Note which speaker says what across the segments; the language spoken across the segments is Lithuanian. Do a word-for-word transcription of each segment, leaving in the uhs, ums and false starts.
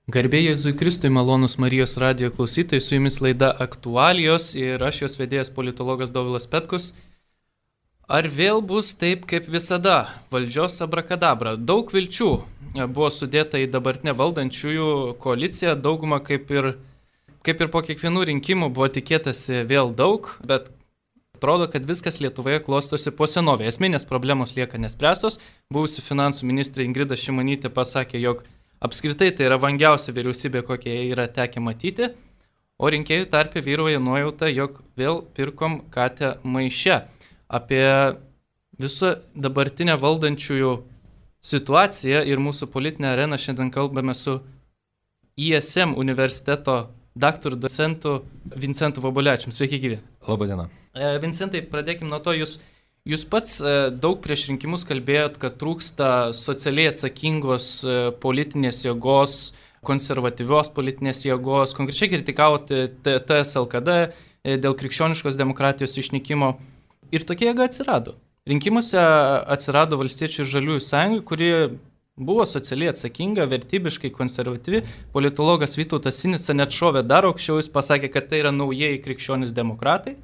Speaker 1: Garbė Jėzui Kristui, malonus Marijos radijo klausytojai, su jumis laida Aktualijos ir aš jos vedėjas politologas Dovilas Petkus. Ar vėl bus taip kaip visada? Valdžios abrakadabra. Daug vilčių buvo sudėta į dabartinę valdančiųjų koaliciją, dauguma kaip ir, kaip ir po kiekvienų rinkimų buvo tikėtasi vėl daug, bet atrodo, kad viskas Lietuvoje klostosi po senovėje. Esminės problemos lieka nespręstos. Buvusi finansų ministrė Ingrida Šimonytė pasakė, jog apskritai tai yra vangiausia vyriausybė, kokie yra tekę matyti, o rinkėjų tarpe vyrauja nuojauta, jog vėl pirkom katę maiše. Apie visą dabartinę valdančiųjų situaciją ir mūsų politinę areną šiandien kalbame su I S M universiteto daktaru docentu Vincentu Vobolevičiumi. Sveiki, gyvi.
Speaker 2: Labadiena.
Speaker 1: Vincentai, pradėkim nuo to, jūs Jūs pats daug prieš rinkimus kalbėjot, kad trūksta socialiai atsakingos politinės jėgos, konservatyvios politinės jėgos, konkrečiai kritikavote T S L K D dėl krikščioniškos demokratijos išnykimo ir tokia jėga atsirado. Rinkimuose atsirado Valstiečių ir Žaliųjų sąjunga, kuri buvo socialiai atsakinga, vertybiškai konservatyvi. Politologas Vytautas Sinica net šovė dar aukščiau, jis pasakė, kad tai yra naujieji krikščionys demokratai.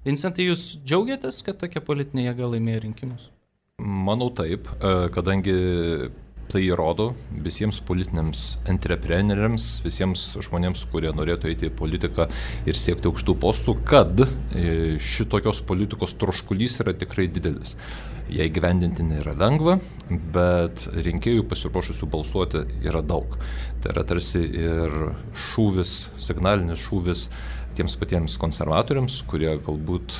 Speaker 1: Vincentai, jūs džiaugiatės, kad tokia politinė jėga laimėjo rinkimus?
Speaker 2: Manau taip, kadangi tai įrodo visiems politiniams entrepreneriams, visiems žmonėms, kurie norėtų eiti į politiką ir siekti aukštų postų, kad šitokios politikos troškulys yra tikrai didelis. Jei gyvendinti nėra lengva, bet rinkėjų pasiruošusių balsuoti yra daug. Tai yra tarsi ir šūvis, signalinis šūvis tiems patiems konservatoriams, kurie galbūt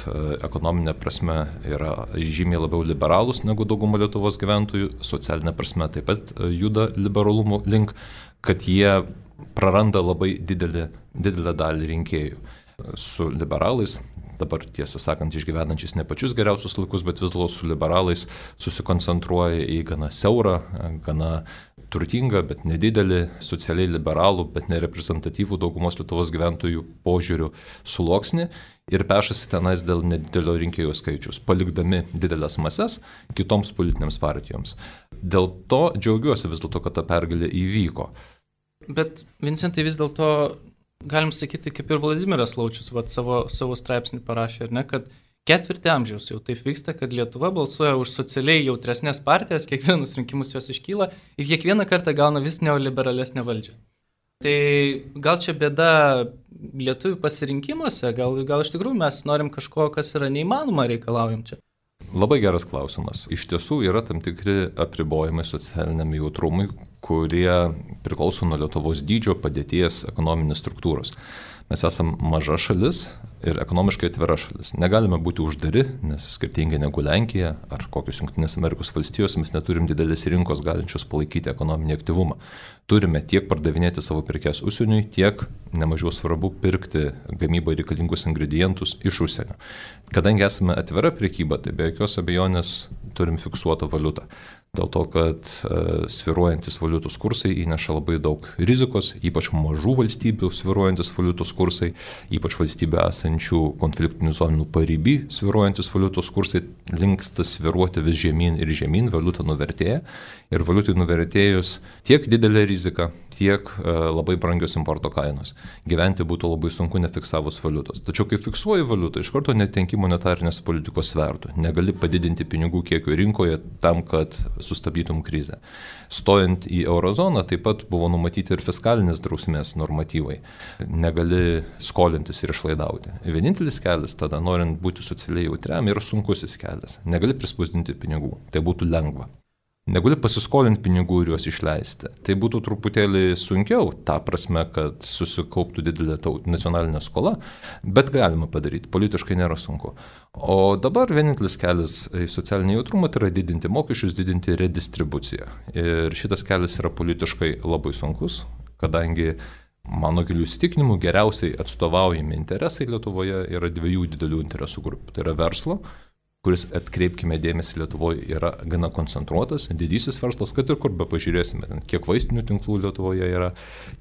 Speaker 2: ekonominė prasme yra žymiai labiau liberalūs negu dauguma Lietuvos gyventojų, socialinė prasme taip pat juda liberalumo link, kad jie praranda labai didelį, didelę dalį rinkėjų. Su liberalais, dabar tiesą sakant, išgyvenančiais ne pačius geriausius laikus, bet vis dėlto su liberalais susikoncentruoja į gana siaurą, gana turtingą, bet nedidelį, socialiai liberalų, bet nereprezentatyvų daugumos Lietuvos gyventojų požiūrių sluoksnį ir pešasi tenais dėl nedidelio rinkėjų skaičius, palikdami didelės mases kitoms politinėms partijoms. Dėl to džiaugiuosi vis dėlto, kad ta pergalė įvyko.
Speaker 1: Bet, Vincentai, vis dėlto galim sakyti, kaip ir Vladimiras Laučius vat, savo, savo straipsnį parašė, ar ne, kad ketvirtį amžiaus jau taip vyksta, kad Lietuva balsuoja už socialiai jautresnės partijas, kiekvienus rinkimus jos iškyla ir kiekvieną kartą gauna vis neoliberalesnę valdžią. Tai gal čia bėda lietuvių pasirinkimuose, gal, gal iš tikrųjų mes norim kažko, kas yra neįmanoma, reikalaujam čia.
Speaker 2: Labai geras klausimas. Iš tiesų yra tam tikri apribojimai socialiniam jautrumui, kurie priklauso nuo Lietuvos dydžio, padėties, ekonominės struktūros. Mes esam maža šalis ir ekonomiškai atvira šalis. Negalime būti uždari, nes skirtingai negu Lenkija ar kokios Jungtinės Amerikos valstijos mes neturim didelės rinkos galinčios palaikyti ekonominį aktyvumą. Turime tiek pardavinėti savo prekes užsieniui, tiek nemažiau svarbu pirkti gamybai reikalingus ingredientus iš užsienio. Kadangi esame atvira prekyba, tai be jokios abejonės turim fiksuotą valiutą. Dėl to, kad uh, svyruojantis valiutos kursai įneša labai daug rizikos, ypač mažų valstybių svyruojantis valiutos kursai, ypač valstybių esančių konfliktinių zonų pariby svyruojantis valiutos kursai linksta svyruoti vis žemyn ir žemyn, valiuta nuvertėja ir valiutai nuvertėjus tiek didelė rizika, tiek uh, labai brangios importo kainos. Gyventi būtų labai sunku nefiksavus valiutos. Tačiau kai fiksuoji valiutą, iš karto netenki monetarinės politikos svertų. Negali padidinti pinigų kiekio rinkoje tam, kad sustabdytum krizę. Stojant į eurozoną taip pat buvo numatyti ir fiskalinės drausmės normatyvai. Negali skolintis ir išlaidauti. Vienintelis kelias tada, norint būti socialiai jautriam, yra sunkusis kelias. Negali prispausdinti pinigų. Tai būtų lengva. Negali pasiskolinti pinigų ir juos išleisti. Tai būtų truputėlį sunkiau, ta prasme, kad susikauptų didelė nacionalinė skola, bet galima padaryti, politiškai nėra sunku. O dabar vienintelis kelias į socialinį jautrumą tai yra didinti mokesčius, didinti redistribuciją. Ir šitas kelias yra politiškai labai sunkus, kadangi mano gilių įsitikinimų geriausiai atstovaujami interesai Lietuvoje yra dviejų didelių interesų grupių. Tai yra verslo, kuris, atkreipkime dėmesį, Lietuvoje yra gana koncentruotas, didysis verslas, kad ir kur be pažiūrėsime, kiek vaistinių tinklų Lietuvoje yra,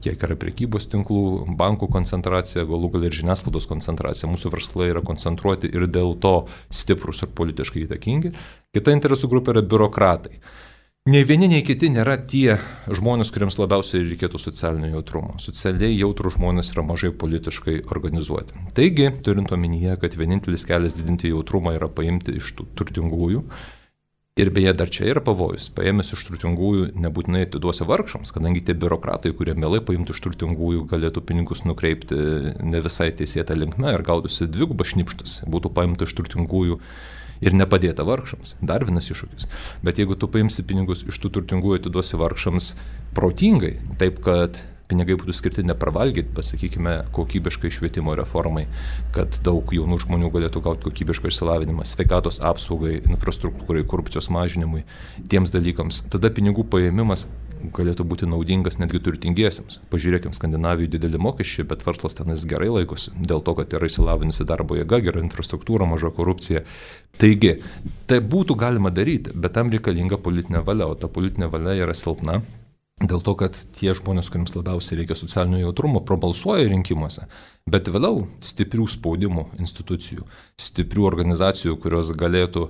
Speaker 2: kiek yra prekybos tinklų, bankų koncentracija, galų gal ir žiniasklaidos koncentracija. Mūsų verslai yra koncentruoti ir dėl to stiprus ir politiškai įtakingi. Kita interesų grupė yra biurokratai. Nei vieni, nei kiti nėra tie žmonės, kuriems labiausiai reikėtų socialinio jautrumo. Socialiai jautrų žmonės yra mažai politiškai organizuoti. Taigi, turint omenyje, kad vienintelis kelias didinti jautrumą yra paimti iš tų turtingųjų, ir beje, dar čia yra pavojus, paėmęs iš turtingųjų nebūtinai atiduosi vargšams, kadangi tie biurokratai, kurie mielai paimtų iš turtingųjų, galėtų pinigus nukreipti ne visai teisėtą linkme ir gautųsi dvigubas šnipštas, būtų paimta iš turtingųjų ir nepadėta vargšams. Dar vienas iššūkis. Bet jeigu tu paimsi pinigus iš tų turtingųjų, atiduosi vargšams protingai, taip kad pinigai būtų skirti nepravalgyti, pasakykime, kokybiškai švietimo reformai, kad daug jaunų žmonių galėtų gauti kokybišką išsilavinimą, sveikatos apsaugai, infrastruktūrai, korupcijos mažinimui, tiems dalykams, tada pinigų paėmimas galėtų būti naudingas netgi turtingiesiems. Pažiūrėkime, Skandinavijoje dideli mokesčiai, bet verslas tenais gerai laikosi, dėl to, kad yra išsilavinusi darbo jėga, gera infrastruktūra, maža korupcija. Taigi, tai būtų galima daryti, bet tam reikalinga politinė valia, o ta politinė valia yra silpna. Dėl to, kad tie žmonės, kuriems labiausiai reikia socialinio jautrumo, prabalsuoja rinkimuose, bet vėliau stiprių spaudimų institucijų, stiprių organizacijų, kurios galėtų,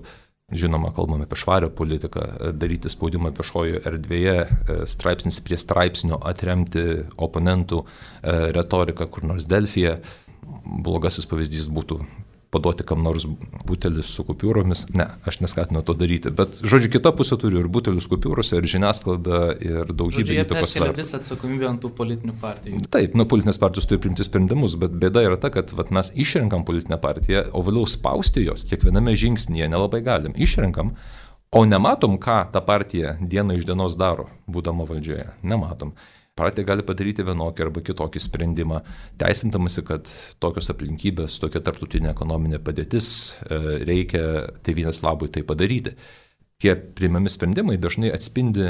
Speaker 2: žinoma, kalbame apie švarią politiką, daryti spaudimą viešojoje erdvėje, straipsnis prie straipsnio atremti oponentų retoriką kur nors Delfyje. Blogasis pavyzdys būtų paduoti kam nors butelį su kupiūromis. Ne, aš neskatinu to daryti, bet, žodžiu, kita pusė turi ir butelius kupiūrose, ir žiniasklaida, ir daugybė įtakos sferų.
Speaker 1: Žodžiu, jie perkelia visą atsakomybę ant tų politinių partijų.
Speaker 2: Taip, nu, politinės partijos turi priimti sprendimus, bet bėda yra ta, kad vat, mes išrenkam politinę partiją, o vėliau spausti jos kiekviename žingsnyje nelabai galim. Išrenkam, o nematom, ką ta partija diena iš dienos daro, būdama valdžioje. Nematom. Partija gali padaryti vienokį arba kitokį sprendimą, teisintamasi, kad tokios aplinkybės, tokia tarptautinė ekonominė padėtis reikia tėvynės labui tai padaryti. Tie priimami sprendimai dažnai atspindi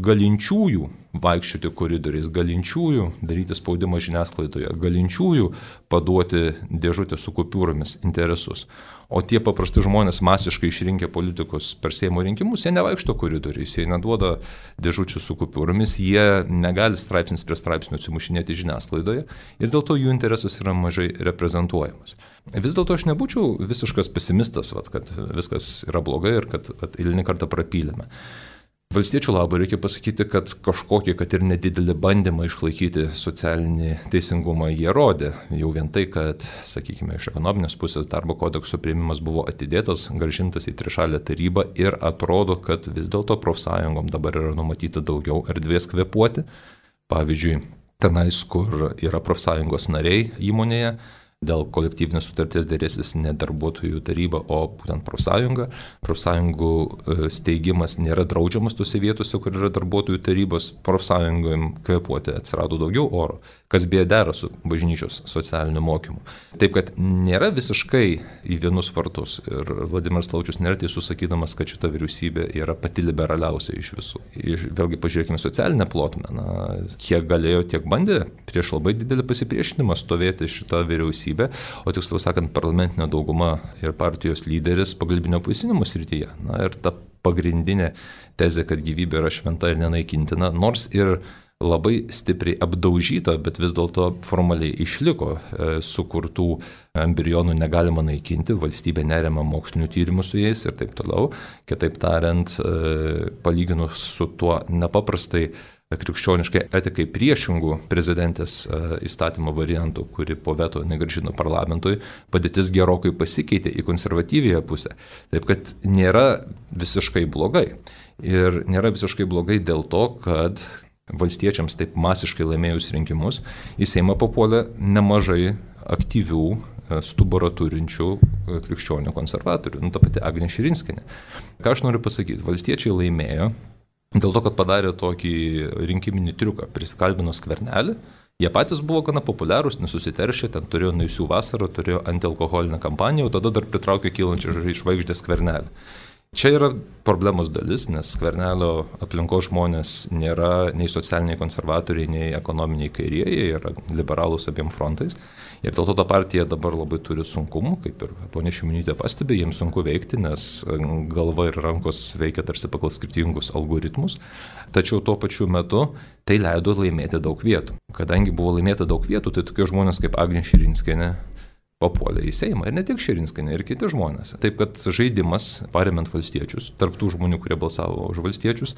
Speaker 2: galinčiųjų vaikščioti koridoriais, galinčiųjų daryti spaudimą žiniasklaidoje, galinčiųjų paduoti dėžutę su kupiūromis interesus. O tie paprasti žmonės masiškai išrinkę politikus per Seimo rinkimus, jie nevaikšto koridoriais, jie neduoda dėžučių su kupiūromis, jie negali straipsnis prie straipsnių atsimušinėti žiniasklaidoje ir dėl to jų interesas yra mažai reprezentuojamas. Vis dėlto aš nebūčiau visiškas pesimistas, vat, kad viskas yra blogai ir kad vat, eilinį kartą prapylėme. Valstiečių labui reikia pasakyti, kad kažkokį, kad ir nedidelį bandymą išlaikyti socialinį teisingumą jie rodė. Jau vien tai, kad, sakykime, iš ekonominės pusės darbo kodekso priėmimas buvo atidėtas, grąžintas į trišalę tarybą ir atrodo, kad vis dėlto profsąjungom dabar yra numatyta daugiau erdvės kvėpuoti. Pavyzdžiui, tenais, kur yra profsąjungos nariai įmonėje, dėl kolektyvinės sutarties dėrėsis ne darbuotojų taryba, o būtent profsąjunga. Profsąjungų steigimas nėra draudžiamas tose vietose, kur yra darbuotojų tarybos. Profsąjungom kvėpuoti atsirado daugiau oro, kas beje dera su bažnyčios socialiniu mokymu. Taip, kad nėra visiškai į vienus vartus. Ir Vladimiras Laučius nėra teisus sakydamas, kad šita vyriausybė yra pati liberaliausia iš visų. Iš, vėlgi pažiūrėkime socialinę plotmę. Na, kiek galėjo, tiek bandė prieš labai didelį pasipriešinimą stovėti šitą vyriausybę. O tiksliau sakant, parlamentinė dauguma ir partijos lyderis pagalbinio apvaisinimo srityje. Na ir ta pagrindinė tezė, kad gyvybė yra šventa ir nenaikintina, nors ir labai stipriai apdaužyta, bet vis dėlto formaliai išliko, e, sukurtų embrionų negalima naikinti, valstybė neremia mokslinių tyrimų su jais ir taip toliau. Kitaip tariant, e, palyginus su tuo nepaprastai krikščioniškai etikai priešingų prezidentės įstatymo variantų, kuri po veto negrąžino parlamentui, padėtis gerokai pasikeitė į konservatyviąją pusę. Taip kad nėra visiškai blogai. Ir nėra visiškai blogai dėl to, kad valstiečiams taip masiškai laimėjus rinkimus į Seimą papuolė nemažai aktyvių, stuburą turinčių krikščionių konservatorių. Nu, ta pati Agnė Širinskienė. Ką aš noriu pasakyti? Valstiečiai laimėjo dėl to, kad padarė tokį rinkiminį triuką, prisikalbino Skvernelį. Jie patys buvo gana populiarūs, nesusiteršė, ten turėjo naisių vasarą, turėjo antialkoholinę kampaniją, o tada dar pritraukė kylančią žvaigždę Skvernelį. Čia yra problemos dalis, nes Skvernelio aplinkos žmonės nėra nei socialiniai konservatoriai, nei ekonominiai kairieji, jie yra liberalūs abiem frontais. Ir dėl to ta partija dabar labai turi sunkumų, kaip ir ponė Šimonytė pastebė, jiems sunku veikti, nes galva ir rankos veikia tarsi pagal skirtingus algoritmus. Tačiau tuo pačiu metu tai leido laimėti daug vietų. Kadangi buvo laimėta daug vietų, tai tokie žmonės kaip Agnė Širinskienė papuolė į Seimą. Ir ne tik Širinskienė, ir kiti žmonės. Taip kad žaidimas, paremiant valstiečius, tarp tų žmonių, kurie balsavo už valstiečius,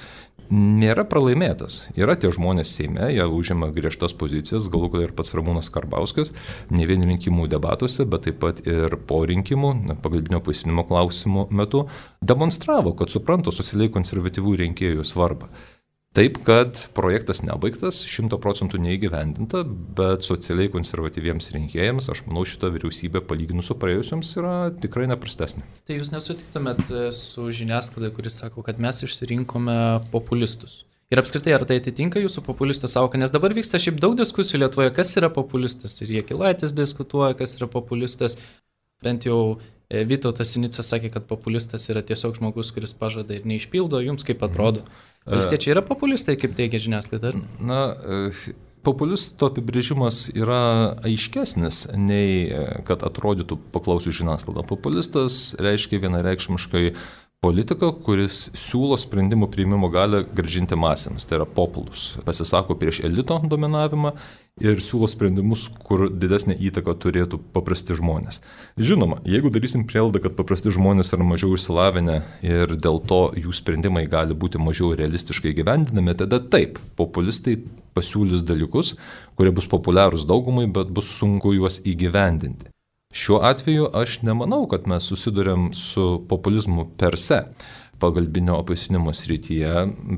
Speaker 2: nėra pralaimėtas. Yra tie žmonės Seime, jie užima griežtas pozicijas, galų galia ir pats Ramūnas Karbauskis, ne vien rinkimų debatuose, bet taip pat ir po rinkimų, pagalbinio apvaisinimo klausimų metu, demonstravo, kad supranta socialiai konservatyvių rinkėjų svarbą. Taip, kad projektas nebaigtas, šimto procentų neįgyvendinta, bet socialiai konservatyviems rinkėjams, aš manau, šita vyriausybė palyginus su praėjusiams yra tikrai neprastesnė.
Speaker 1: Tai jūs nesutiktumėt su žiniasklaida, kuris sako, kad mes išsirinkome populistus. Ir apskritai, ar tai atitinka jūsų populistų sąvoką, nes dabar vyksta šiaip daug diskusijų Lietuvoje, kas yra populistas. Ir Jakilaitis diskutuoja, kas yra populistas. Bent jau Vytautas Sinica sakė, kad populistas yra tiesiog žmogus, kuris pažada ir neišpildo. Jums kaip atrodo? Valstiečiai yra populistai, kaip teigia žiniasklaida?
Speaker 2: Na, populisto apibrėžimas yra aiškesnis nei kad atrodytų paklausius žiniasklaidą. Populistas reiškia vienareikšmiškai politiką, kuris siūlo sprendimų priimimo galią grąžinti masėms, tai yra populus. Pasisako prieš elito dominavimą ir siūlo sprendimus, kur didesnė įtaka turėtų paprasti žmonės. Žinoma, jeigu darysim prielaidą, kad paprasti žmonės yra mažiau išsilavinę ir dėl to jų sprendimai gali būti mažiau realistiškai gyvendinami, tada taip, populistai pasiūlys dalykus, kurie bus populiarūs daugumai, bet bus sunku juos įgyvendinti. Šiuo atveju aš nemanau, kad mes susidurėm su populizmu per se pagalbinio apvaisinimo srityje,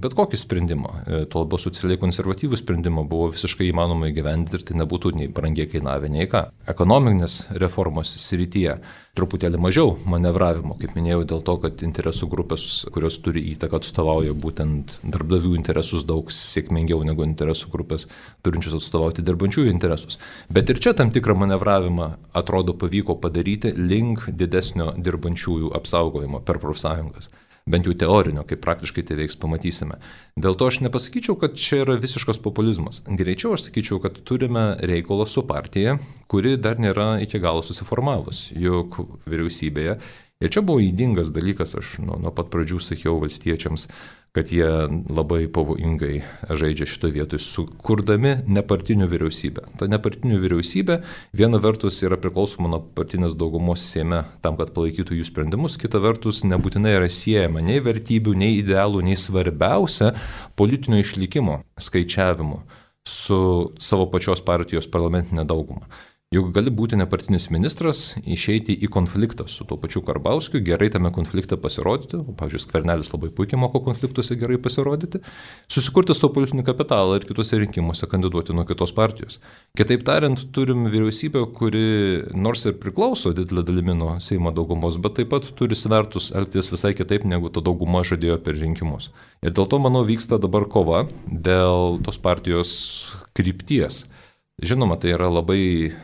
Speaker 2: bet kokį sprendimą. Tuo labiau socialiai konservatyvų sprendimą buvo visiškai įmanoma įgyvendinti ir tai nebūtų nei brangiai kainavę, nei ką. Ekonominės reformos srityje truputėlį mažiau manevravimo, kaip minėjau, dėl to, kad interesų grupės, kurios turi įtaką, atstovauja būtent darbdavių interesus daug sėkmingiau negu interesų grupės turinčius atstovauti dirbančiųjų interesus. Bet ir čia tam tikrą manevravimą atrodo pavyko padaryti link didesnio dirbančiųjų apsaugojimo per profsąjungas. Bent jau teorinio, kaip praktiškai tai veiks, pamatysime. Dėl to aš nepasakyčiau, kad čia yra visiškas populizmas. Greičiau aš sakyčiau, kad turime reikalą su partija, kuri dar nėra iki galo susiformavus, juk vyriausybėje. Ir čia buvo įdingas dalykas, aš nuo, nuo pat pradžių sakiau valstiečiams, kad jie labai pavojingai žaidžia šitoje vietoje, sukurdami nepartinių vyriausybę. Ta nepartinių vyriausybė viena vertus yra priklausoma nuo partinės daugumos Seime tam, kad palaikytų jų sprendimus, kita vertus nebūtinai yra siejama nei vertybių, nei idealų, nei svarbiausia politinio išlikimo skaičiavimu su savo pačios partijos parlamentinė dauguma. Juk gali būti nepartinis ministras, išeiti į konfliktą su tuo pačiu Karbauskiu, gerai tame konflikte pasirodyti, o, pavyzdžiui, Skvernelis labai puikiai moko konfliktuose gerai pasirodyti, susikurti savo politinį kapitalą ir kitose rinkimuose kandiduoti nuo kitos partijos. Kitaip tariant, turim vyriausybę, kuri nors ir priklauso didelė dalimi nuo Seimo daugumos, bet taip pat turi svertus elgtis visai kitaip, negu ta dauguma žadėjo per rinkimus. Ir dėl to, manau, vyksta dabar kova dėl tos partijos krypties. Žinoma, tai yra labai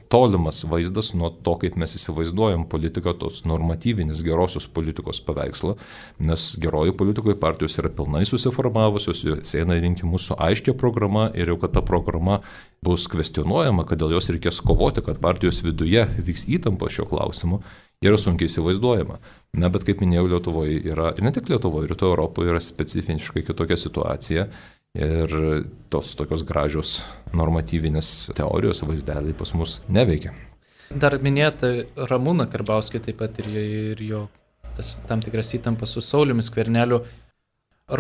Speaker 2: tolimas vaizdas nuo to, kaip mes įsivaizduojam politiką, tos normatyvinės gerosios politikos paveikslo, nes geroji politikoje partijos yra pilnai susiformavusios, jos eina į rinkimus su aiškia programa ir jau kad ta programa bus kvestionuojama, kad dėl jos reikės kovoti, kad partijos viduje vyks įtampa šio klausimu, yra sunkiai įsivaizduojama. Na, bet kaip minėjau, Lietuvoje yra, ir ne tik Lietuvoje, ir to Europoje yra specifiškai kitokia situacija. Ir tos tokios gražios normatyvinės teorijos vaizdeliai pas mus neveikia.
Speaker 1: Dar minėta Ramūną Karbauskį taip pat ir jo, ir jo tas, tam tikras įtampas su Sauliumi Skverneliu.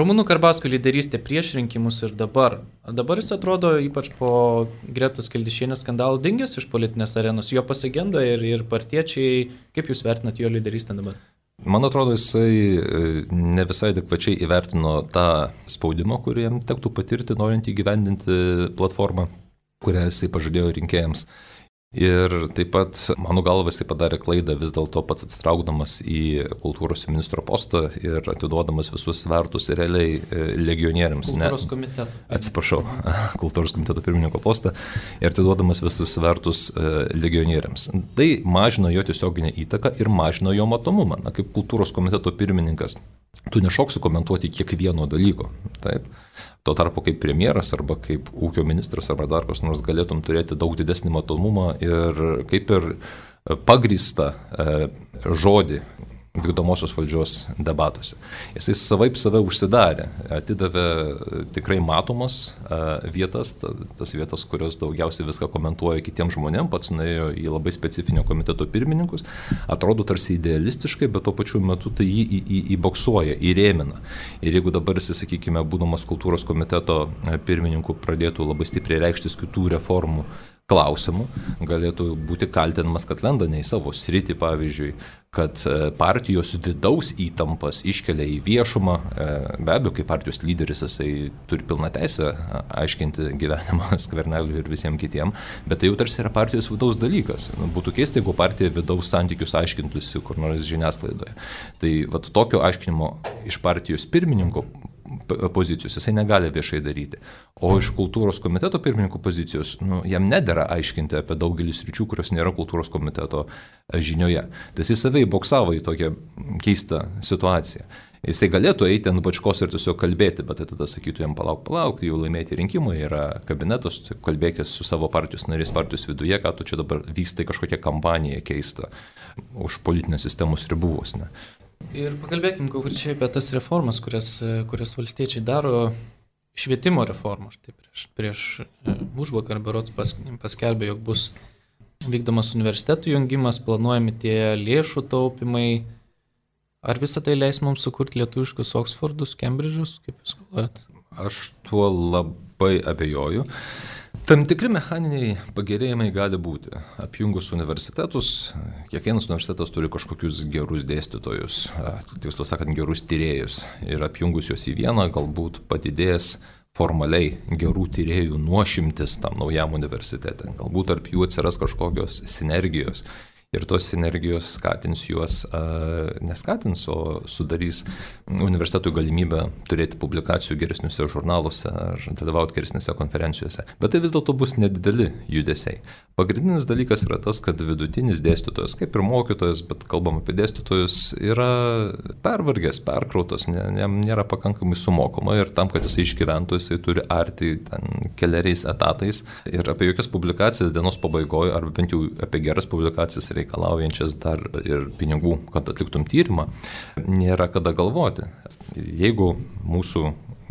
Speaker 1: Ramūno Karbauskio lyderystė prieš rinkimus ir dabar. Dabar jis atrodo, ypač po Gretos Kildišienės skandalų, dingęs iš politinės arenos. Jo pasigenda ir, ir partiečiai. Kaip jūs vertinat jo lyderystę dabar?
Speaker 2: Man atrodo, jisai ne visai adekvačiai įvertino tą spaudimą, kurį jam tektų patirti, norint įgyvendinti platformą, kurią jisai pažadėjo rinkėjams. Ir taip pat, mano galva, jisai padarė klaidą vis dėlto pats atsitraukdamas į kultūros ministro postą ir atiduodamas visus svertus realiai legionieriams.
Speaker 1: Kultūros ne, komiteto.
Speaker 2: Atsiprašau, kultūros komiteto pirmininko postą ir atiduodamas visus svertus legionieriams. Tai mažino jo tiesioginę įtaką ir mažino jo matomumą. Na, kaip kultūros komiteto pirmininkas, tu nešoksi komentuoti kiekvieno dalyko. Taip. Tuo tarpu kaip premjeras arba kaip ūkio ministras arba dar kas nors galėtum turėti daug didesnį matomumą ir kaip ir pagrįstą e, žodį vykdomosios valdžios debatuose. Jisai savaip save užsidarė, atidavė tikrai matomas vietas, tas vietas, kurios daugiausiai viską komentuoja kitiems žmonėms, pats nuėjo į labai specifinio komiteto pirmininkus, atrodo tarsi idealistiškai, bet tuo pačiu metu tai jį į, į, įboksuoja, įrėmina. Ir jeigu dabar jis, sakykime, būdamas kultūros komiteto pirmininku, pradėtų labai stipriai reikštis kitų reformų klausimų, galėtų būti kaltinamas, kad lenda ne į savo sritį, pavyzdžiui, kad partijos vidaus įtampas iškelia į viešumą. Be abejo, kaip partijos lyderis, jisai turi pilną teisę aiškinti gyvenimą Skverneliui ir visiems kitiems, bet tai jau tarsi yra partijos vidaus dalykas. Būtų keista, jeigu partija vidaus santykius aiškintųsi kur nors žiniasklaidoje. Tai vat, tokio aiškinimo iš partijos pirmininko pozicijos jisai negali viešai daryti. O iš kultūros komiteto pirmininko pozicijos, nu, jam nedera aiškinti apie daugelį sričių, kurios nėra kultūros komiteto žinioje. Tai jisai save įboksavo į tokią keistą situaciją. Jisai galėtų eiti ant bačkos ir tiesiog kalbėti, bet tada sakytų jam palauk, palauk, jau laimėti rinkimai, yra kabinetas, kalbėkės su savo partijos narys partijos viduje, ką tu čia dabar vyksta kažkokia kampanija keista už politinės sistemos ribų vos ne.
Speaker 1: Ir pakalbėkim konkrečiai apie tas reformas, kurias, kurias valstiečiai daro. Švietimo reforma. Štai prieš, prieš užvakar berods pas, paskelbė, jog bus vykdomas universitetų jungimas, planuojami tie lėšų taupimai. Ar visą tai leis mums sukurti lietuviškus Oksfordus, Kembridžus, kaip jūs galvojat?
Speaker 2: Aš tuo labai abejoju. Tam tikri mechaniniai pagerėjimai gali būti. Apjungus universitetus, kiekvienas universitetas turi kažkokius gerus dėstytojus, tiksliau sakant, gerus tyrėjus. Ir apjungus juos į vieną, galbūt padidės formaliai gerų tyrėjų nuošimtis tam naujam universitete. Galbūt tarp jų atsiras kažkokios sinergijos. Ir tos sinergijos skatins juos, neskatins, o sudarys universitetui galimybę turėti publikacijų geresniuose žurnaluose ar dalyvauti geresnėse konferencijose. Bet tai vis dėlto bus nedideli judesiai. Pagrindinis dalykas yra tas, kad vidutinis dėstytojas, kaip ir mokytojas, bet kalbam apie dėstytojus, yra pervargęs, perkrautas, nėra pakankamai sumokama ir tam, kad jisai išgyventų, jisai turi arti ten keliariais etatais ir apie jokias publikacijas dienos pabaigoje, arba bent jau apie geras publikacijas reikalaujančias dar ir pinigų, kad atliktum tyrimą, nėra kada galvoti. Jeigu mūsų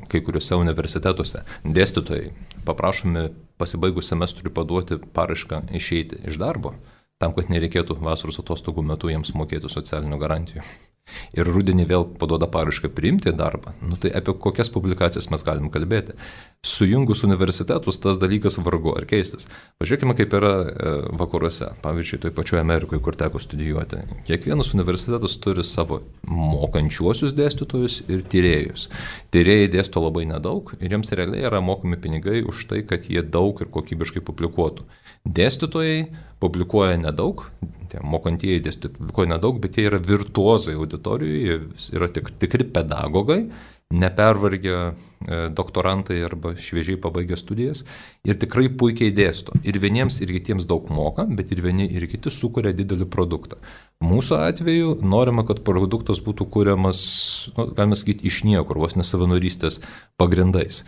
Speaker 2: kai kuriuose universitetuose dėstytojai paprašomi pasibaigus semestrui paduoti paraišką išeiti iš darbo, tam, kad nereikėtų vasaros atostogų metu jiems mokėti socialinių garantijų. Ir rudenį vėl paduoda paraišką priimti darbą, nu tai apie kokias publikacijas mes galim kalbėti. Sujungus universitetus tas dalykas vargu ar keistas. Pažiūrėkime, kaip yra vakaruose, pavyzdžiui, toj pačioje Amerikoje, kur teko studijuoti. Kiekvienas universitetas turi savo mokančiuosius dėstytojus ir tyrėjus. Tyrėjai dėsto labai nedaug ir jiems realiai yra mokami pinigai už tai, kad jie daug ir kokybiškai publikuotų. Dėstytojai publikuoja nedaug, tie mokantieji dėstytojai publikuoja nedaug, bet jie yra virtuozai auditorijoje, jie yra tik, tikri pedagogai, nepervargę doktorantai arba šviežiai pabaigę studijas ir tikrai puikiai dėsto. Ir vieniems ir kitiems daug moka, bet ir vieni ir kiti sukuria didelį produktą. Mūsų atveju norima, kad produktas būtų kuriamas, nu, galime sakyti, iš niekur, vos nesavanorystės pagrindais.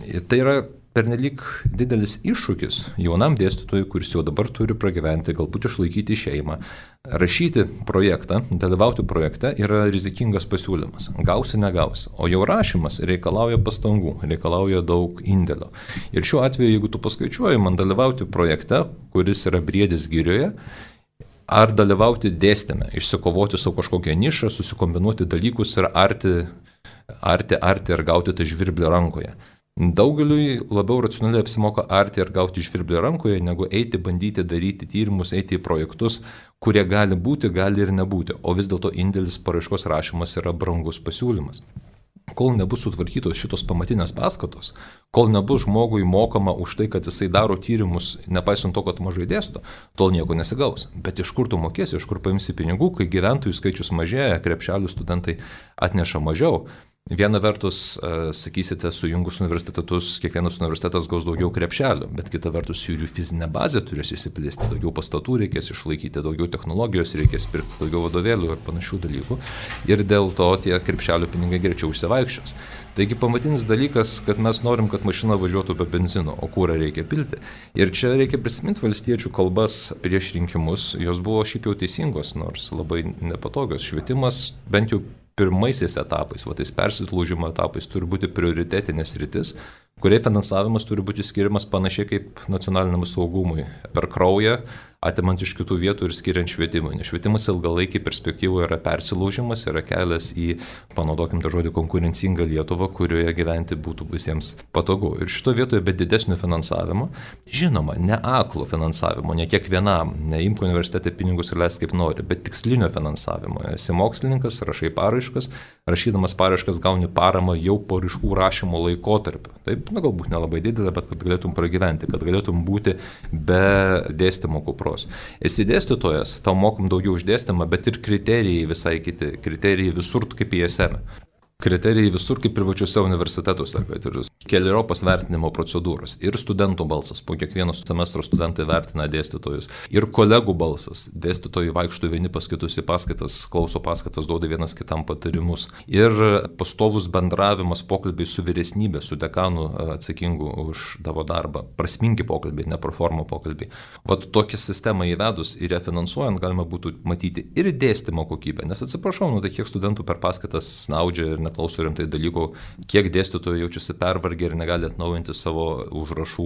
Speaker 2: Ir tai yra pernelyg didelis iššūkis jaunam dėstytojui, kuris jau dabar turi pragyventi, galbūt išlaikyti šeimą. Rašyti projektą, dalyvauti projekte yra rizikingas pasiūlymas. Gausi, negausi. O jau rašymas reikalauja pastangų, reikalauja daug indėlio. Ir šiuo atveju, jeigu tu paskaičiuoji, man dalyvauti projekte, kuris yra briedis girioje, ar dalyvauti dėstyme, išsikovoti savo kažkokią nišą, susikombinuoti dalykus ir arti, arti, arti ir gauti tą žvirblį rankoje. Daugeliui labiau racionaliai apsimoka arti ir gauti žvirblį rankoje, negu eiti, bandyti daryti tyrimus, eiti į projektus, kurie gali būti, gali ir nebūti. O vis dėlto indėlis paraiškos rašymas yra brangus pasiūlymas. Kol nebus sutvarkytos šitos pamatinės paskatos, kol nebus žmogui mokama už tai, kad jisai daro tyrimus, nepaisant to, kad mažai dėsto, tol nieko nesigaus. Bet iš kur tu mokėsi, iš kur paimsi pinigų, kai gyventojų skaičius mažėja, krepšelių studentai atneša mažiau. Viena vertus, sakysite, sujungus universitetus, kiekvienas universitetas gaus daugiau krepšelių, bet kita vertus jų fizinė bazė turės įsiplėsti, daugiau pastatų reikės išlaikyti, daugiau technologijos, reikės pirkti daugiau vadovėlių ir panašių dalykų. Ir dėl to tie krepšelių pinigai greičiau išsivaikščios. Taigi pamatinis dalykas, kad mes norim, kad mašina važiuotų be benzino, o kūrą reikia pilti. Ir čia reikia prisiminti valstiečių kalbas prieš rinkimus, jos buvo šiaip jau teisingos, nors labai nepatogios. Švietimas bent jau pirmaisiais etapais, va tais persilūžimo etapais turi būti prioritetinės rytis, kurie finansavimas turi būti skiriamas panašiai kaip nacionaliniam saugumui, per kraują, atimant iš kitų vietų ir skiriant švietimui. Nes švietimas ilgalaikiai perspektyvoje yra persilaužimas, yra kelias į, panaudokim tą žodį, konkurencingą Lietuvą, kurioje gyventi būtų visiems patogu. Ir šito vietoje be didesnio finansavimo, žinoma, ne aklo finansavimo, ne kiekvienam, neimk universitete pinigus ir leisk kaip nori, bet tikslinio finansavimo. Esi mokslininkas, rašai paraiškas, rašydamas paraiškas gauni paramą jau paraiškų rašymo laikotarpiu. Taip, na, galbūt nelabai didelė, bet kad galėtum pragyventi, kad galėtum būti be dėstymo kupros. Esi dėstytojas, tau mokum daugiau už dėstymą, bet ir kriterijai visai kiti, kriterijai visur kaip į es em. Kriterijai visur kaip privačiuose universitetuose, kad ir keleriopos vertinimo procedūros, ir studentų balsas, po kiekvieno semestro studentai vertina dėstytojus, ir kolegų balsas, dėstytojai vaikšto vieni pas kitus į paskaitas, klauso paskaitas, duoda vienas kitam patarimus, ir pastovus bendravimas, pokalbiai su vyresnybė, su dekanu atsakingu už tavo darbą, prasmingi pokalbiai, ne proforma pokalbiai. Vat tokią sistemą įvedus ir ją finansuojant galima būtų matyti ir dėstymo kokybę, nes atsiprašau, nu tai kiek studentų per paskaitas snaudžia ir neklauso rimtai dalykų, kiek dėstytojų jaučiasi pervargę ir negali atnaujinti savo užrašų,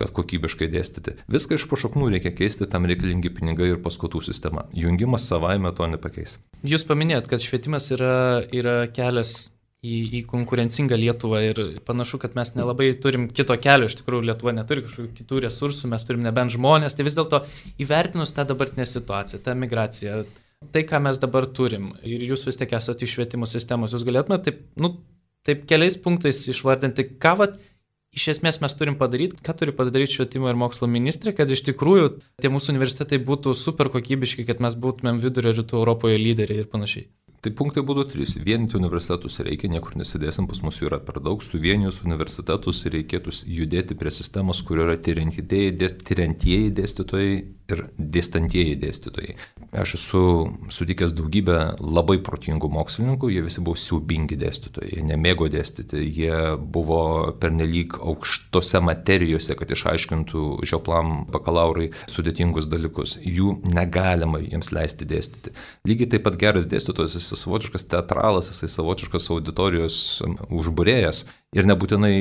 Speaker 2: kad kokybiškai dėstyti. Viską iš pašaknų reikia keisti, tam reikalingi pinigai ir paskatų sistema. Jungimas savaime to nepakeis.
Speaker 1: Jūs paminėjot, kad švietimas yra, yra kelias į, į konkurencingą Lietuvą ir panašu, kad mes nelabai turim kito kelio, iš tikrųjų Lietuva neturi kažkokių kitų resursų, mes turim nebent žmonės, tai vis dėlto įvertinus tą dabartinę situaciją, tą migraciją, tai, ką mes dabar turim, ir jūs vis tiek esate iš švietimo sistemos, jūs galėtumėte taip, nu, taip keliais punktais išvardinti, ką vat, iš esmės mes turim padaryti, ką turi padaryti švietimo ir mokslo ministrė, kad iš tikrųjų tie mūsų universitetai būtų super kokybiški, kad mes būtumėm vidurio rytų Europoje lyderiai ir panašiai.
Speaker 2: Tai punktai būtų trys. Vienyti universitetus reikia, niekur nesidėsim, pas mus yra per daug. Suvienijus universitetus reikėtų judėti prie sistemos, kur yra tiriantieji dėstytojai ir dėstantieji dėstytojai. Aš esu sutikęs daugybę labai protingų mokslininkų, jie visi buvo siaubingi dėstytojai, jie nemėgo dėstyti, jie buvo pernelyg aukštose materijose, kad išaiškintų žioplam bakalaurai sudėtingus dalykus. Jų negalima jiems leisti dėstyti. Lygiai taip pat geras dėstytojas, jis savotiškas teatralas, jisai savotiškas auditorijos užbūrėjas ir nebūtinai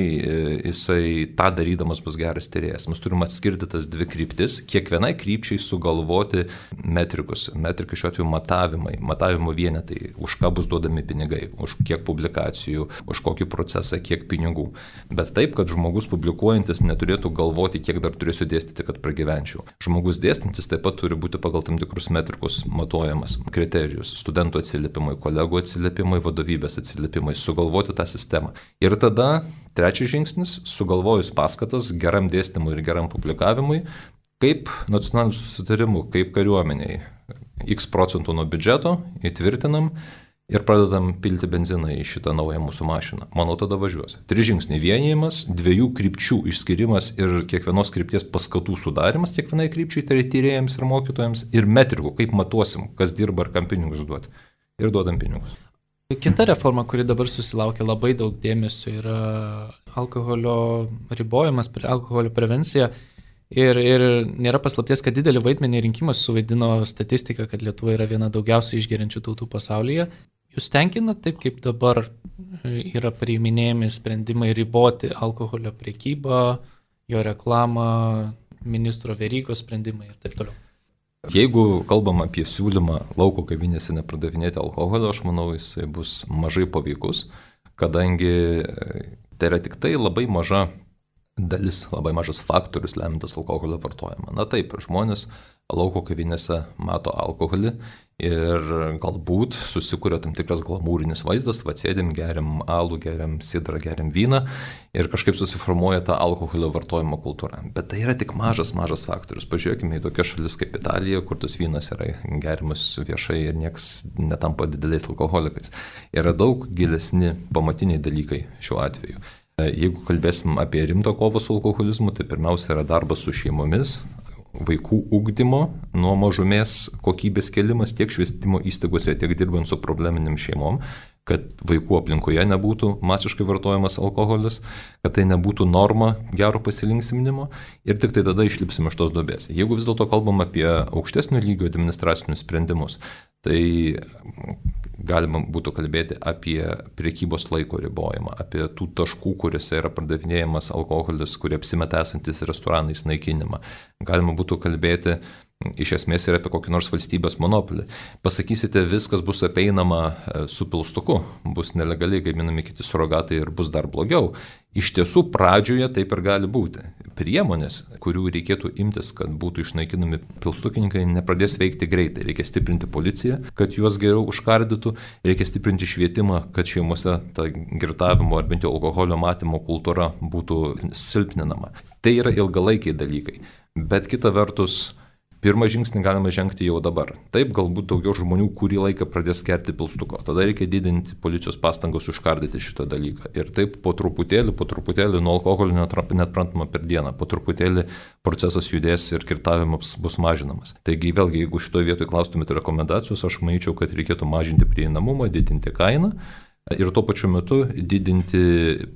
Speaker 2: jisai tą darydamas bus geras tyrėjas. Mes turime atskirti tas dvi kryptis, kiekvienai krypčiai sugalvoti metrikus. Metrikai šiuo atveju matavimai, matavimo vienetai, už ką bus duodami pinigai, už kiek publikacijų, už kokį procesą, kiek pinigų. Bet taip, kad žmogus publikuojantis neturėtų galvoti, kiek dar turėsiu dėstyti, kad pragyvenčiau. Žmogus dėstantis taip pat turi būti pagal tam tikrus metrikus matuojamas, kriterijus, studentų atsiliepimai, kolegų atsiliepimai, vadovybės atsiliepimai, sugalvoti tą sistemą. Ir tada trečias žingsnis, sugalvojus paskatas geram dėstymui ir geram publikavimui, kaip nacionaliniu susitarimu, kaip kariuomeniai, x procentų nuo biudžeto įtvirtinam ir pradedam pilti benziną į šitą naują mūsų mašiną. Manau, tada važiuos. Tris žingsniai vienijimas, dviejų krypčių išskirimas ir kiekvienos krypties paskatų sudarimas kiekvienai krypčiai, tai tyrėjams ir mokytojams, ir metrikų, kaip matuosim, kas dirba ir kam pinigus duoti. Ir duodam pinigus.
Speaker 1: Kita reforma, kuri dabar susilaukia labai daug dėmesio, yra alkoholio ribojimas, alkoholio prevencija. Ir, ir nėra paslapties, kad didelį vaidmenį rinkimas suvaidino statistika, kad Lietuva yra viena daugiausiai išgeriančių tautų pasaulyje. Jūs tenkina taip, kaip dabar yra priiminėjami sprendimai riboti alkoholio prekybą, jo reklamą, ministro Verygos sprendimai ir taip toliau?
Speaker 2: Jeigu kalbam apie siūlymą lauko kavinėse nepardavinėti alkoholio, aš manau, jisai bus mažai paveikus, kadangi tai yra tik tai labai maža dalis, labai mažas faktorius lemintas alkoholio vartojimą. Na taip, žmonės lauko kavinėse mato alkoholį Ir galbūt susikuria tam tikras glamūrinis vaizdas, va sėdim, geriam alų, geriam sidrą, geriam vyną ir kažkaip susiformuoja ta alkoholio vartojimo kultūra. Bet tai yra tik mažas, mažas faktorius. Pažiūrėkime į tokias šalis kaip Italija, kur tas vynas yra geriamas viešai ir nieks netampa dideliais alkoholikais. Yra daug gilesni pamatiniai dalykai šiuo atveju. Jeigu kalbėsim apie rimtą kovą su alkoholizmu, tai pirmiausia yra darbas su šeimomis, vaikų ugdymo, nuo mažumės kokybės kelimas tiek švietimo įstaigose, tiek dirbant su probleminėm šeimom, kad vaikų aplinkoje nebūtų masiškai vartojamas alkoholis, kad tai nebūtų norma gero pasilinksminimo ir tik tai tada išlipsim iš tos duobės. Jeigu vis dėlto kalbam apie aukštesnio lygio administracinius sprendimus, tai galima būtų kalbėti apie priekybos laiko ribojimą, apie tų taškų, kuriuose yra pardavinėjamas alkoholis, kurie apsimeta esantis restoranais naikinimą. Galima būtų kalbėti iš esmės ir apie kokį nors valstybės monopolį. Pasakysite, viskas bus apeinama su pilstuku, bus nelegaliai gaminami kiti surogatai ir bus dar blogiau. Iš tiesų, pradžioje taip ir gali būti. Priemonės, kurių reikėtų imtis, kad būtų išnaikinami pilstukininkai, nepradės veikti greitai. Reikia stiprinti policiją, kad juos geriau užkardytų, reikia stiprinti švietimą, kad šeimose ta girtavimo ar bent jau alkoholio matymo kultūra būtų silpninama. Tai yra ilgalaikiai dalykai. Bet kita vertus, pirmą žingsnį galima žengti jau dabar. Taip, galbūt daugiau žmonių kurį laiką pradės gerti pilstuko. Tada reikia didinti policijos pastangas užkardyti šitą dalyką. Ir taip po truputėlį, po truputėlį nuo alkoholio neatprantama per dieną. Po truputėlį procesas judės ir kirtavimas bus mažinamas. Taigi vėlgi, jeigu šitoje vietoje klaustumėte rekomendacijos, aš manyčiau, kad reikėtų mažinti prieinamumą, didinti kainą. Ir tuo pačiu metu didinti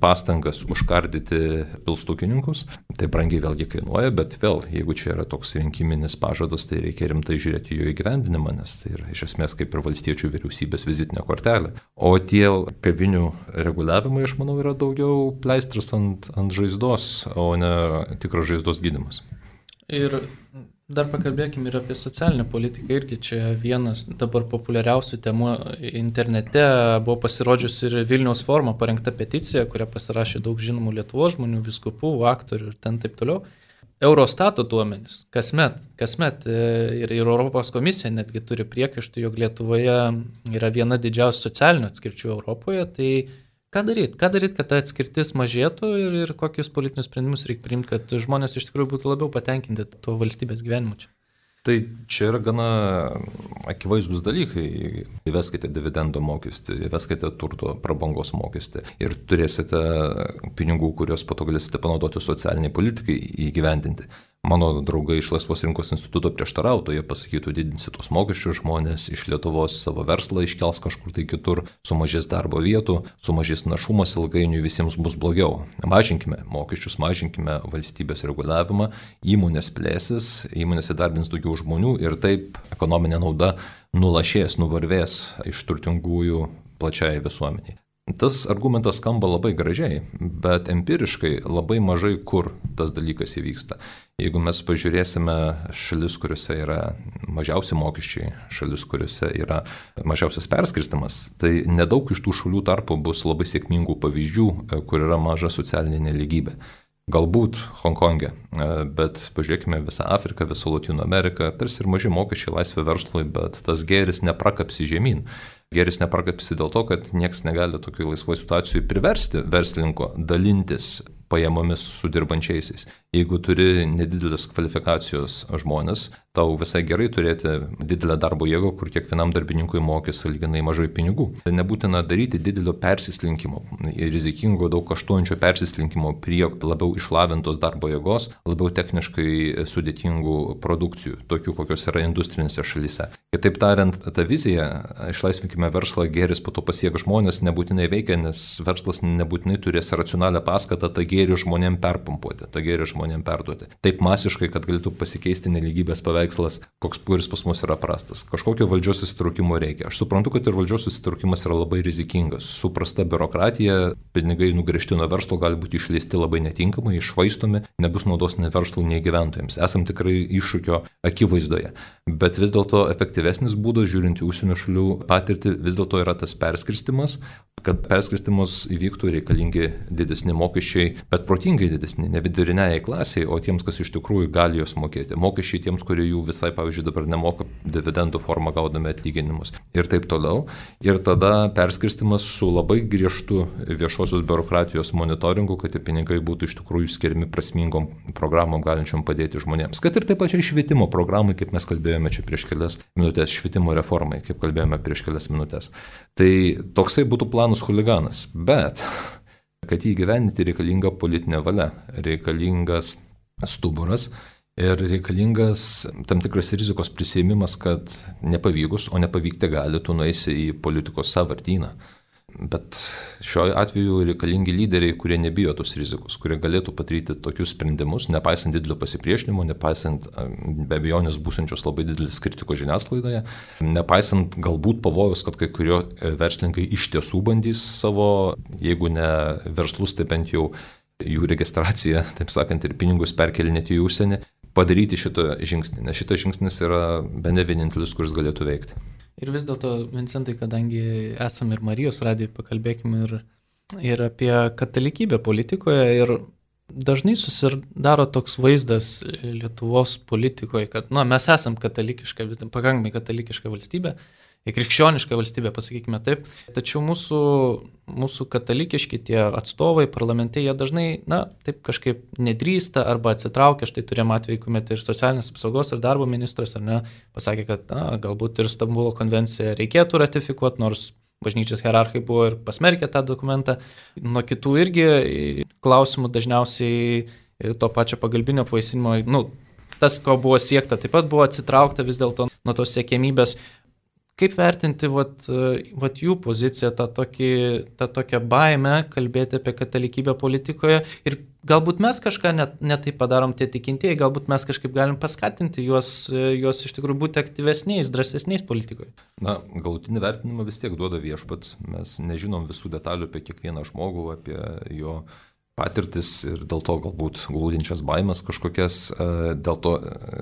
Speaker 2: pastangas užkardyti pilstukininkus. Tai brangiai vėlgi kainuoja, bet vėl, jeigu čia yra toks rinkiminis pažadas, tai reikia rimtai žiūrėti jo įgyvendinimą, nes tai yra iš esmės kaip ir valstiečių vyriausybės vizitinė kortelė. O tie kavinių reguliavimai, aš manau, yra daugiau pleistras ant, ant žaizdos, o ne tikras žaizdos gydymas.
Speaker 1: Ir dar pakalbėkime ir apie socialinę politiką. Irgi čia vienas dabar populiariausių temų internete buvo pasirodžiusi ir Vilniaus forumo parengta peticija, kurią pasirašė daug žinomų Lietuvos žmonių, vyskupų, aktorių ir ten taip toliau. Eurostato duomenys kasmet, kasmet ir, ir Europos komisija netgi turi priekaištų, jog Lietuvoje yra viena didžiausių socialinių atskirčių Europoje. Tai ką daryti? Ką daryti, kad ta atskirtis mažėtų ir, ir kokius politinius sprendimus reikia priimti, kad žmonės iš tikrųjų būtų labiau patenkinti tuo valstybės gyvenimu čia?
Speaker 2: Tai čia yra gana akivaizdus dalykai. Įveskite dividendo mokestį, įveskite turto prabangos mokestį ir turėsite pinigų, kuriuos po to galėsite panaudoti socialiniai politikai įgyvendinti. Mano draugai iš Laisvos rinkos instituto prieštarautų, jie pasakytų, didinsi tos mokesčius, žmonės iš Lietuvos savo verslą iškels kažkur tai kitur, sumažės darbo vietų, sumažės našumas, ilgainiui visiems bus blogiau. Mažinkime mokesčius, mažinkime valstybės reguliavimą, įmonės plėsis, įmonės įdarbins daugiau žmonių ir taip ekonominė nauda nulašės, nuvarvės iš turtingųjų plačiai visuomeniai. Tas argumentas skamba labai gražiai, bet empiriškai labai mažai kur tas dalykas įvyksta. Jeigu mes pažiūrėsime šalis, kuriuose yra mažiausi mokesčiai, šalis, kuriuose yra mažiausias perskirstimas, tai nedaug iš tų šalių tarpo bus labai sėkmingų pavyzdžių, kur yra maža socialinė nelygybė. Galbūt Honkongė, bet pažiūrėkime visą Afriką, visą Lotynų Ameriką, tarsi ir maži mokesčiai laisvė verslui, bet tas gėris neprakapsi žemyn. Gėris neprakapsi dėl to, kad nieks negali tokiai laisvoje situacijoje priversti verslininko dalintis pajamomis su dirbančiaisiais. Jeigu turi nedidelės kvalifikacijos žmonės, tau visai gerai turėti didelę darbo jėgą, kur kiekvienam darbininkui mokės sąlyginai mažai pinigų. Tai nebūtina daryti didelio persislinkimo, rizikingo, daug kaštuojančio persislinkimo prie labiau išlavintos darbo jėgos, labiau techniškai sudėtingų produkcijų, tokių kokios yra industrinėse šalyse. Kitaip tariant, ta vizija, išlaisvinkime verslą, gėris po to pasiek žmonės, nebūtinai veikia, nes verslas nebūtinai turės racionalią paskatą tą gėrį žmonėm perpumpuoti, tą gėrį žmonėm perduoti. Taip masiškai, kad galėtų pasikeisti nelygybės paveikslas, koks kuris pas mus yra prastas. Kažkokio valdžios įsitraukimo reikia. Aš suprantu, kad ir valdžios įsitraukimas yra labai rizikingas. Su prasta biurokratija, pinigai nugręžti nuo verslo gali būti išleisti labai netinkamai, iššvaistomi, nebus naudos nei verslui, nei gyventojams. Esam tikrai iššūkio akivaizdoje. Bet vis dėlto efektyvesnis būdas, žiūrint į užsienio šalių patirtį, daryti, vis dėlto yra tas perskirstimas, kad perskirstimus įvyktų reikalingi didesni mokesčiai, bet protingai didesni, ne viduriniai klasiai, o tiems, kas iš tikrųjų gali juos mokėti. Mokesčiai tiems, kurie jų visai, pavyzdžiui, dabar nemoka dividendų formą gaudami atlyginimus ir taip toliau. Ir tada perskirstimas su labai griežtu viešosios biurokratijos monitoringu, kad tie pinigai būtų iš tikrųjų skiriami prasmingom programom galinčiom padėti žmonėms. Kad ir taip pačiai švietimo programai, kaip mes kalbėjome čia prieš kelias minutės, švietimo reformai, kaip kalbėjome prieš kelias minutės. Tai toksai būtų planas huliganas, bet kad jį gyventi reikalinga politinė valia, reikalingas stuburas ir reikalingas tam tikras rizikos prisėmimas, kad nepavykus, o nepavykti gali, tu nueisi į politikos sąvartyną. Bet šiuo atveju reikalingi lyderiai, kurie nebijo tos rizikos, kurie galėtų padaryti tokius sprendimus, nepaisant didelio pasipriešinimo, nepaisant be abejonės būsančios labai didelis kritikos žiniasklaidoje, nepaisant galbūt pavojus, kad kai kurio verslininkai iš tiesų bandys savo, jeigu ne verslus, tai bent jau jų registraciją, taip sakant, ir pinigus perkelinėti į užsienį, padaryti šitą žingsnį, nes šitas žingsnis yra bene vienintelis, kuris galėtų veikti.
Speaker 1: Ir vis dėlto, Vincentai, kadangi esame ir Marijos radijoje, pakalbėkime ir, ir apie katalikybę politikoje. Ir dažnai susidaro toks vaizdas Lietuvos politikoje, kad nu, mes esam katalikiška, pakankamai katalikiška valstybė, krikščioniška valstybė, pasakykime taip. Tačiau mūsų, mūsų katalikiški tie atstovai parlamente, jie dažnai, na, taip kažkaip nedrįsta arba atsitraukia. Štai turėjom atvejį, kuomet ir socialinės apsaugos ir darbo ministras, ar ne, pasakė, kad na, galbūt ir Stambulo konvenciją reikėtų ratifikuoti, nors bažnyčios hierarchai buvo ir pasmerkė tą dokumentą. Nuo kitų irgi klausimų dažniausiai to pačio pagalbinio pavaisinimo, nu, tas, ko buvo siekta, taip pat buvo atsitraukta vis dėlto nuo tos siekėmybės. Kaip vertinti vat, vat jų poziciją, tą, tokį, tą tokią baimę kalbėti apie katalikybę politikoje ir galbūt mes kažką net, net taip padarom tie tikintieji, galbūt mes kažkaip galim paskatinti juos, juos iš tikrųjų būti aktyvesniais, drąsesniais politikoje.
Speaker 2: Na, galutinį vertinimą vis tiek duoda viešpats, mes nežinom visų detalių apie kiekvieną žmogų, apie jo patirtis ir dėl to galbūt glūdinčias baimes kažkokias, dėl to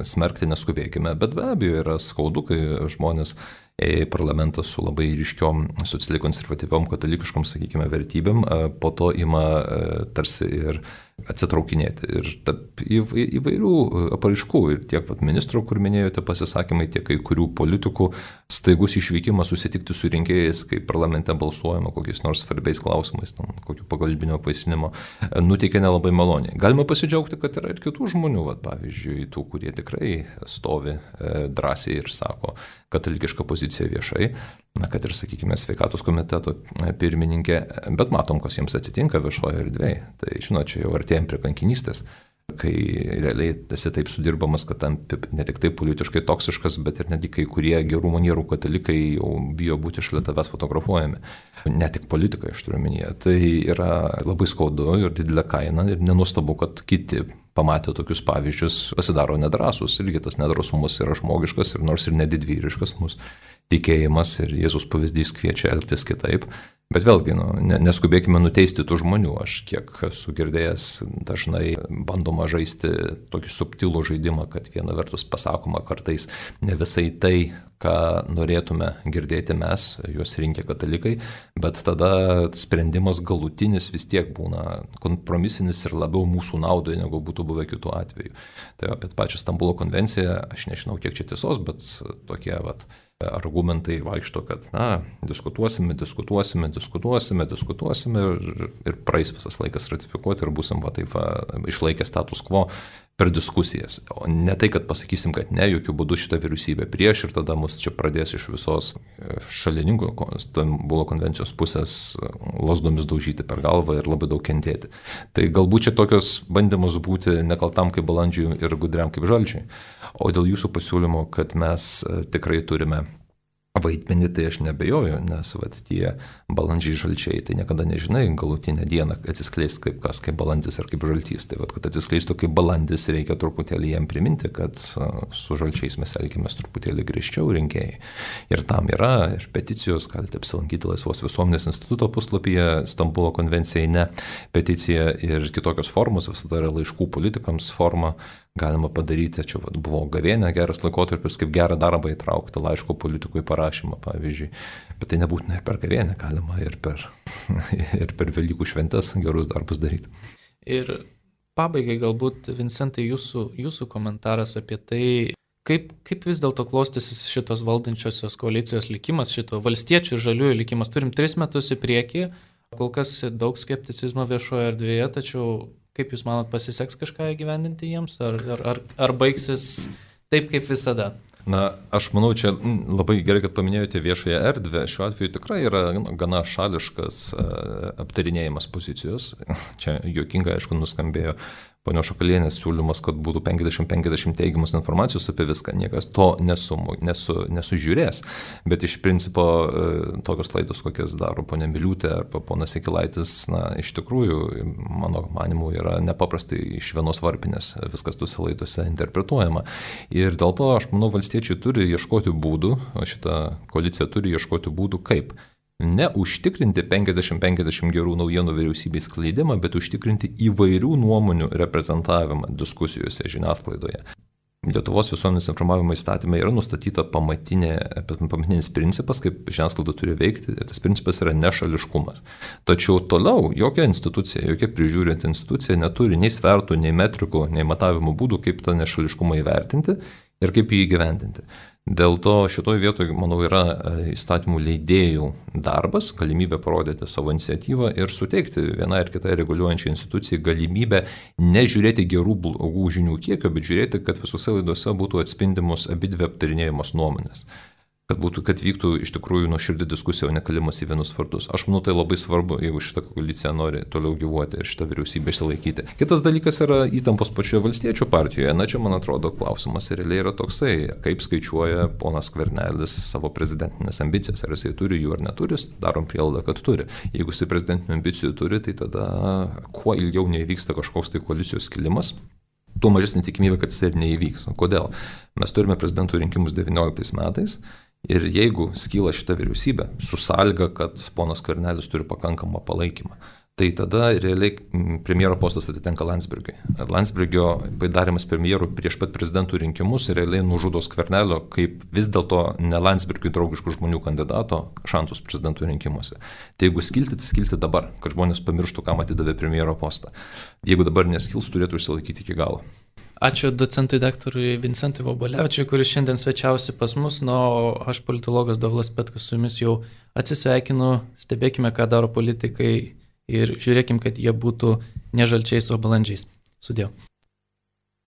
Speaker 2: smerkti neskubėkime, bet be abejo yra skaudu, kai žmonės į parlamentą su labai ryškiom socialiai konservatyviom katalikiškom, sakykime, vertybėm, po to ima tarsi ir atsitraukinėti. Ir tarp įvairių apraiškų, ir tiek vat, ministro, kur minėjote pasisakymai, tiek kai kurių politikų staigus išvykimas susitikti su rinkėjais, kai parlamente balsuojama kokiais nors svarbiais klausimais, tam, kokių pagalbinio paisinimo, nuteikia nelabai maloniai. Galima pasidžiaugti, kad yra ir kitų žmonių, vat, pavyzdžiui, tų, kurie tikrai stovi e, drąsiai ir sako katalikišką poziciją viešai, na, kad ir, sakykime, sveikatos komiteto pirmininkė, bet matom, kas jiems atsitinka viešoje erdvėje. Tai, žinot, čia jau artėjom prie kankinystės, kai realiai esi taip sudirbamas, kad tampi ne tik tai politiškai toksiškas, bet ir netgi kai kurie gerų manierų katalikai jau bijo būti šalia tavęs fotografuojami. Ne tik politikai, aš turiu omenyje. Tai yra labai skaudu ir didelė kaina ir nenuostabu, kad kiti pamatę tokius pavyzdžius pasidaro nedrąsus. Irgi tas nedrasumas yra žmogiškas ir nors ir nedidvyriškas mūsų tikėjimas ir Jėzus pavyzdys kviečia elgtis kitaip. Bet vėlgi, nu, neskubėkime nuteisti tų žmonių. Aš kiek esu girdėjęs, dažnai bandoma žaisti tokį subtilų žaidimą, kad viena vertus pasakoma kartais ne visai tai, ką norėtume girdėti mes, juos rinkę katalikai, bet tada sprendimas galutinis vis tiek būna kompromisinis ir labiau mūsų naudai, negu būtų buvę kitų atveju. Tai apie pačią Stambulo konvenciją, aš nežinau, kiek čia tiesos, bet tokie vat, argumentai vaikšto, kad na, diskutuosime, diskutuosime, diskutuosime, diskutuosime ir, ir praeis visas laikas ratifikuoti ir būsim va, taip, va, išlaikę status quo per diskusijas. O ne tai, kad pasakysim, kad ne, jokių būdų šitą vyriausybę prieš ir tada mus čia pradės iš visos šalininkų Stambulo konvencijos pusės lasdomis daužyti per galvą ir labai daug kentėti. Tai galbūt čia tokios bandymus būti nekaltam kaip balandžiui ir gudriam kaip žalčiui. O dėl jūsų pasiūlymo, kad mes tikrai turime vaidmenį, tai aš nebejoju, nes vat, tie balandžiai žalčiai, tai niekada nežinai, galutinę dieną atsiskleis kaip kas, kaip balandis ar kaip žaltys. Tai vat, kad atsiskleistų kaip balandis, reikia truputėlį jiem priminti, kad su žalčiais mes elgiamės truputėlį griežčiau rinkėjai. Ir tam yra ir peticijos, galite apsilankyti Laisvos visuomenės instituto puslapyje, Stambulo konvencijai ne peticija ir kitokios formos, visada yra laiškų politikams forma. galima padaryti, čia vat, buvo gavėnė, geras laikotarpis, kaip gerą darbą įtraukti laiško politikui parašymą, pavyzdžiui. Bet tai nebūtina ir per gavėnę, galima ir per, ir per Velykų šventes gerus darbus daryti.
Speaker 1: Ir pabaigai galbūt, Vincentai, jūsų, jūsų komentaras apie tai, kaip, kaip vis dėlto klostysis šitos valdančiosios koalicijos likimas, šito valstiečių ir žaliųjų likimas. Turim tris metus į priekį, kol kas daug skepticizmo viešoje erdvėje, tačiau kaip Jūs manot, pasiseks kažką įgyvendinti jiems, ar, ar, ar, ar baigsis taip kaip visada?
Speaker 2: Na, aš manau, čia labai gerai, kad paminėjote viešąją erdvę. Šiuo atveju tikrai yra gana šališkas aptarinėjimas pozicijos. Čia juokingai, aišku, nuskambėjo ponios Šakalienės siūlymas, kad būtų penkiasdešimt penkiasdešimt teigiamos informacijos apie viską. Niekas to nesu, nesu, nesužiūrės. Bet iš principo tokios klaidos, kokias daro ponia Miliūtė arba ponas Jakilaitis, na, iš tikrųjų, mano manimu, yra nepaprastai iš vienos varpinės viskas tuose laiduose interpretuojama. Ir dėl to, aš manau, valstiečiai turi ieškoti būdų, o šita koalicija turi ieškoti būdų, kaip neužtikrinti penkiasdešimt penkiasdešimt gerų naujienų vyriausybės skleidimą, bet užtikrinti įvairių nuomonių reprezentavimą diskusijose žiniasklaidoje. Lietuvos visuomenės informavimo įstatymai yra nustatyta pamatinė, pamatinis principas, kaip žiniasklaida turi veikti, ir tas principas yra nešališkumas. Tačiau toliau jokia institucija, jokia prižiūrinti institucija neturi nei svertų, nei metrikų, nei matavimo būdų, kaip tą nešališkumą įvertinti ir kaip jį įgyvendinti. Dėl to šitoje vietoje, manau, yra įstatymų leidėjų darbas, galimybė parodyti savo iniciatyvą ir suteikti vienai ar kitai reguliuojančiai institucijai galimybę nežiūrėti gerų blogų žinių kiekio, bet žiūrėti, kad visose laidose būtų atspindimos abidvi aptarinėjamos nuomonės. Kad, būtų, kad vyktų iš tikrųjų nuoširdi diskusija, o ne kalimas į vienus vardus. Aš manau, tai labai svarbu, jeigu šita koalicija nori toliau gyvuoti ir šitą vyriausybę išsilaikyti. Kitas dalykas yra įtampos pačioje valstiečių partijoje. Na, čia, man atrodo, klausimas realiai yra toksai, kaip skaičiuoja ponas Skvernelis savo prezidentinės ambicijas. Ar jisai turi jų ar neturi, darom prielaidą, kad turi. Jeigu jisai prezidentinių ambicijų turi, tai tada kuo ilgiau neįvyksta kažkoks tai koalicijos skilimas, tuo mažesnė tikimybė, kad jis ir neįvyks. Kodėl? Mes turime prezidentų rinkimus devynioliktais metais. Ir jeigu skyla šita vyriausybė su sąlyga, kad ponas Skvernelis turi pakankamą palaikymą, tai tada realiai premjero postas atitenka Landsbergiui. Landsbergio darimas premjeru prieš pat prezidentų rinkimus realiai nužudo Skvernelio kaip vis dėlto ne Landsbergiui draugiškų žmonių kandidato šansus prezidentų rinkimuose. Tai jeigu skilti, tai skilti dabar, kad žmonės pamirštų, kam atidavė premjero postą. Jeigu dabar neskils, turėtų išsilaikyti iki galo.
Speaker 1: Ačiū docentui daktarui Vincentui Vobolevičiui, kuris šiandien svečiausi pas mus, nu, o aš politologas Dovilas Petkus su jumis jau atsisveikinu, stebėkime, ką daro politikai ir žiūrėkim, kad jie būtų ne žalčiais, o balandžiais. Sudėjau.